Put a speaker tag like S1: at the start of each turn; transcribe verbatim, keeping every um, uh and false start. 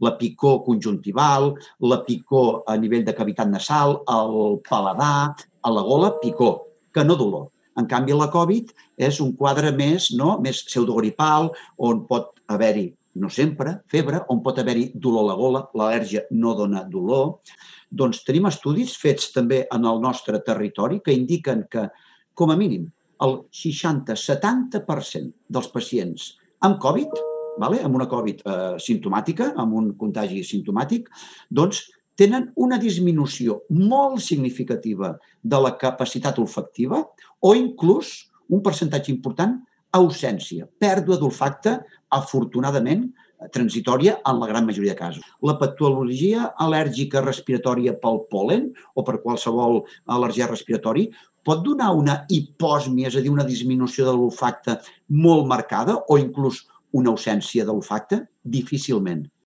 S1: la picor conjuntival, la picor a nivell de cavitat nasal, el paladar, a la gola, picor, que no dolor. En canvi, la Covid és un quadre més, no? més pseudogripal, on pot haver-hi, no sempre, febre, on pot haver-hi dolor a la gola, l'al·lèrgia no dona dolor. Doncs tenim estudis fets també en el nostre territori que indiquen que, com a mínim, el seixanta a setanta per cent dels pacients amb Covid, vale? amb una Covid eh, simptomàtica, amb un contagi simptomàtic, doncs tenen una disminució molt significativa de la capacitat olfactiva o inclús un percentatge important ausència, pèrdua d'olfacte, afortunadament, transitòria en la gran majoria de casos. La patologia al·lèrgica respiratòria pel pol·len o per qualsevol al·lèrgia respiratori pot donar una hipòsmia, és a dir, una disminució de l'olfacte molt marcada o inclús una ausència d'olfacte? Difícilment.